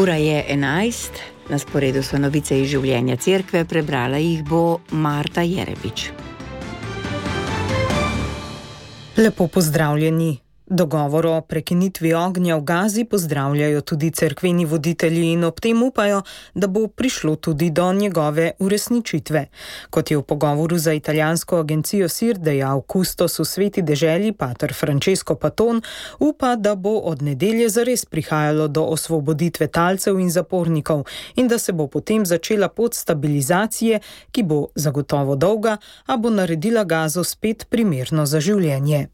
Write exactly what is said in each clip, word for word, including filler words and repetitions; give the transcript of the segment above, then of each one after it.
Ura je enajst, na sporedu so novice iz življenja cerkve, prebrala jih bo Marta Jerebič. Lepo pozdravljeni. Dogovor o prekinitvi ognja v Gazi pozdravljajo tudi cerkveni voditelji in ob tem upajo, da bo prišlo tudi do njegove uresničitve. Kot je v pogovoru za italijansko agencijo S I R dejal kustos v Sveti deželi pater Francesco Paton, upa, da bo od nedelje zares prihajalo do osvoboditve talcev in zapornikov in da se bo potem začela pot stabilizacije, ki bo zagotovo dolga, a bo naredila Gazo spet primerno za življenje.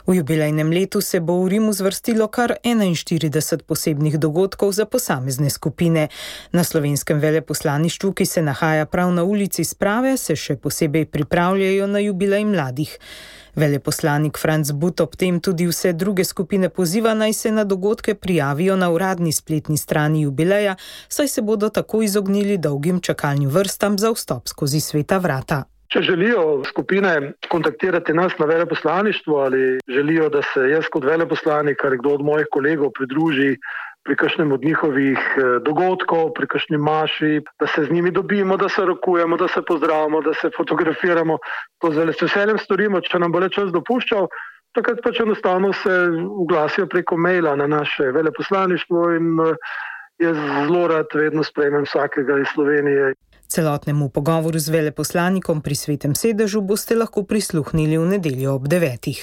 V jubilejnem letu se bo v Rimu zvrstilo kar enainštirideset posebnih dogodkov za posamezne skupine. Na slovenskem veleposlaništvu, ki se nahaja prav na ulici Sprave, se še posebej pripravljajo na jubilej mladih. Veleposlanik Franc But ob tem tudi vse druge skupine poziva, naj se na dogodke prijavijo na uradni spletni strani jubileja, saj se bodo tako izognili dolgim čakalnim vrstam za vstop skozi sveta vrata. Če želijo skupine kontaktirati nas na veleposlaništvu ali želijo, da se jaz kot veleposlanik ali kdo od mojih kolegov pridruži pri kakšnem od njihovih dogodkov, pri kakšni maši, da se z njimi dobimo, da se rokujemo, da se pozdravimo, da se fotografiramo, to z veseljem storimo, če nam bo le čas dopuščal, takrat pač enostavno se oglasijo preko maila na naše veleposlaništvo in jaz zelo rad vedno sprejmem vsakega iz Slovenije. Celotnemu pogovoru z veleposlanikom pri Svetem sedežu boste lahko prisluhnili v nedeljo ob devetih.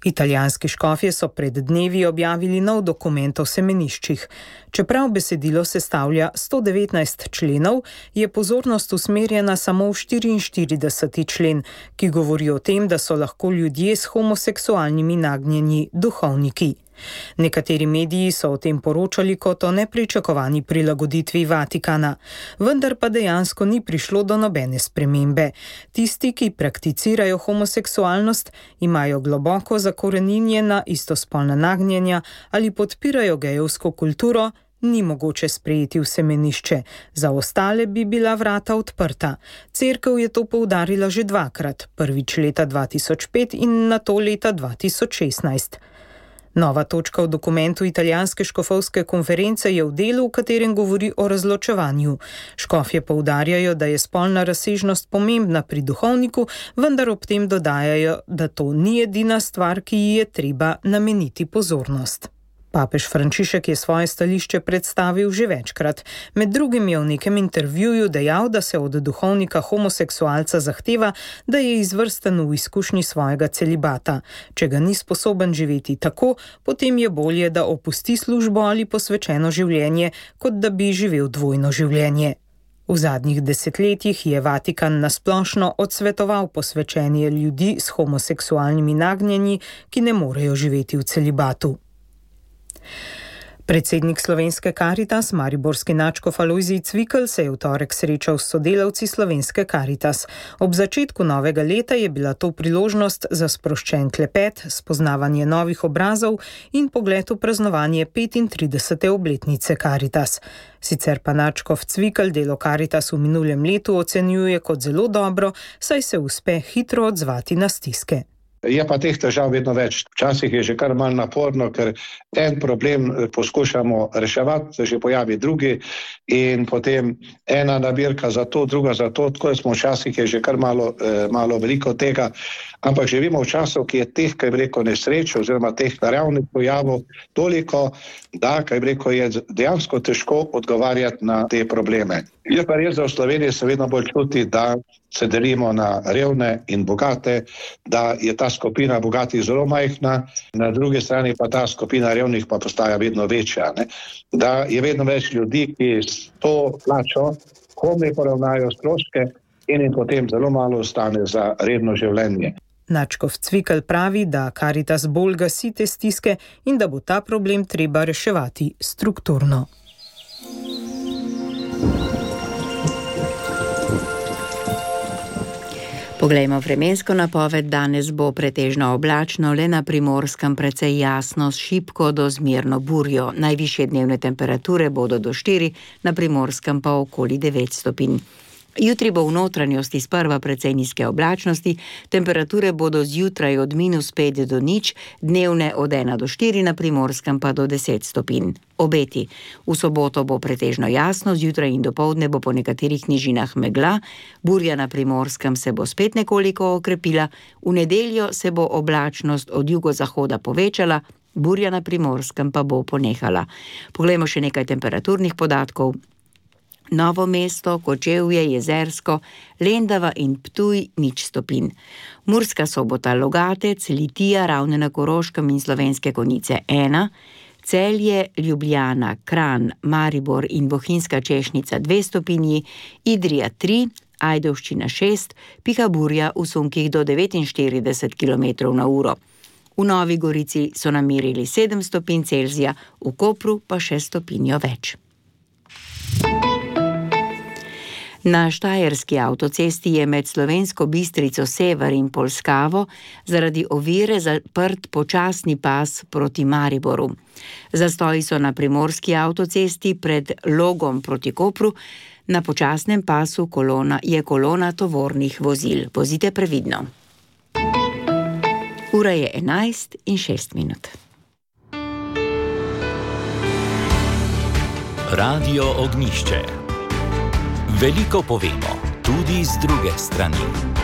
Italijanski škofje so pred dnevi objavili nov dokument o semeniščih. Čeprav besedilo sestavlja sto devetnajst členov, je pozornost usmerjena samo v štiriinštirideseti člen, ki govori o tem, da so lahko ljudje s homoseksualnimi nagnjenji duhovniki. Nekateri mediji so o tem poročali kot o nepričakovani prilagoditvi Vatikana, vendar pa dejansko ni prišlo do nobene spremembe. Tisti, ki prakticirajo homoseksualnost, imajo globoko zakoreninjena istospolna nagnjenja ali podpirajo gejevsko kulturo, ni mogoče sprejeti v semenišče. Za ostale bi bila vrata odprta. Cerkev je to poudarila že dvakrat, prvič leta dva tisoč pet in nato leta dva tisoč šestnajst. Nova točka v dokumentu italijanske škofovske konference je v delu, v katerem govori o razločevanju. Škofje poudarjajo, da je spolna razsežnost pomembna pri duhovniku, vendar ob tem dodajajo, da to ni edina stvar, ki ji je treba nameniti pozornost. Papež Frančišek je svoje stališče predstavil že večkrat. Med drugim je v nekem intervjuju dejal, da se od duhovnika homoseksualca zahteva, da je izvrsten v izkušnji svojega celibata. Če ga ni sposoben živeti tako, potem je bolje, da opusti službo ali posvečeno življenje, kot da bi živel dvojno življenje. V zadnjih desetletjih je Vatikan nasplošno odsvetoval posvečenje ljudi s homoseksualnimi nagnjenji, ki ne morejo živeti v celibatu. Predsednik slovenske Karitas, mariborski nadškof Alojzij Cvikl, se je v torek srečal s sodelavci slovenske Karitas. Ob začetku novega leta je bila to priložnost za sproščen klepet, spoznavanje novih obrazov in pogled v praznovanje petintridesete obletnice Karitas. Sicer pa nadškof Cvikl delo Karitas v minulem letu ocenjuje kot zelo dobro, saj se uspe hitro odzvati na stiske. Je pa teh težav vedno več. Včasih je že kar malo naporno, ker en problem poskušamo reševati, se že pojavi drugi in potem ena nabirka za to, druga za to, tako smo včasih je že kar malo, malo veliko tega, ampak živimo v času, ki je teh, kaj bi rekel, nesreč oziroma teh naravnih pojavov toliko, da, kaj bi rekel, je dejansko težko odgovarjati na te probleme. Je pa res, da v Sloveniji se vedno bolj čuti, da se delimo na revne in bogate, da je ta skupina bogatih zelo majhna, na drugi strani pa ta skupina revnih pa postaja vedno večja. Ne? Da je vedno več ljudi, ki s to plačo komaj poravnajo stroške in jim potem zelo malo ostane za redno življenje. Nadškof Cvikl pravi, da Karitas bolj gasi te stiske in da bo ta problem treba reševati strukturno. Poglejmo vremensko napoved. Danes bo pretežno oblačno, le na Primorskem precej jasno, s šibko do zmerno burjo. Najvišje dnevne temperature bodo do štiri, na Primorskem pa okoli devet stopinj. Jutri bo v notranjosti sprva precej nizke oblačnosti, temperature bodo zjutraj od minus pet do nič, dnevne od ena do štiri, na Primorskem pa do deset stopinj. Obeti. V soboto bo pretežno jasno, zjutraj in dopoldne bo po nekaterih nižinah megla, burja na Primorskem se bo spet nekoliko okrepila, v nedeljo se bo oblačnost od jugozahoda povečala, burja na Primorskem pa bo ponehala. Poglejmo še nekaj temperaturnih podatkov. Novo mesto, Kočevje, Jezersko, Lendava in Ptuj nič stopinj. Murska Sobota, Logatec, Litija, Ravne na Koroškem in Slovenske Konjice ena, Celje, Ljubljana, Kranj, Maribor in Bohinjska Češnica dve stopinji, Idrija tri, Ajdovščina šest, piha burja v sunkih do devetinštirideset kilometrov na uro. V Novi Gorici so namerili sedem stopinj Celzija, v Kopru pa še stopinjo več. Na štajerski avtocesti je med Slovensko Bistrico Sever in Polskavo zaradi ovire zaprt počasni pas proti Mariboru. Zastoji so na primorski avtocesti pred Logom proti Kopru, na počasnem pasu kolona je kolona tovornih vozil. Vozite previdno. Ura je enajst in šest minut. Radio Ognjišče. Veliko povemo, tudi z druge strani.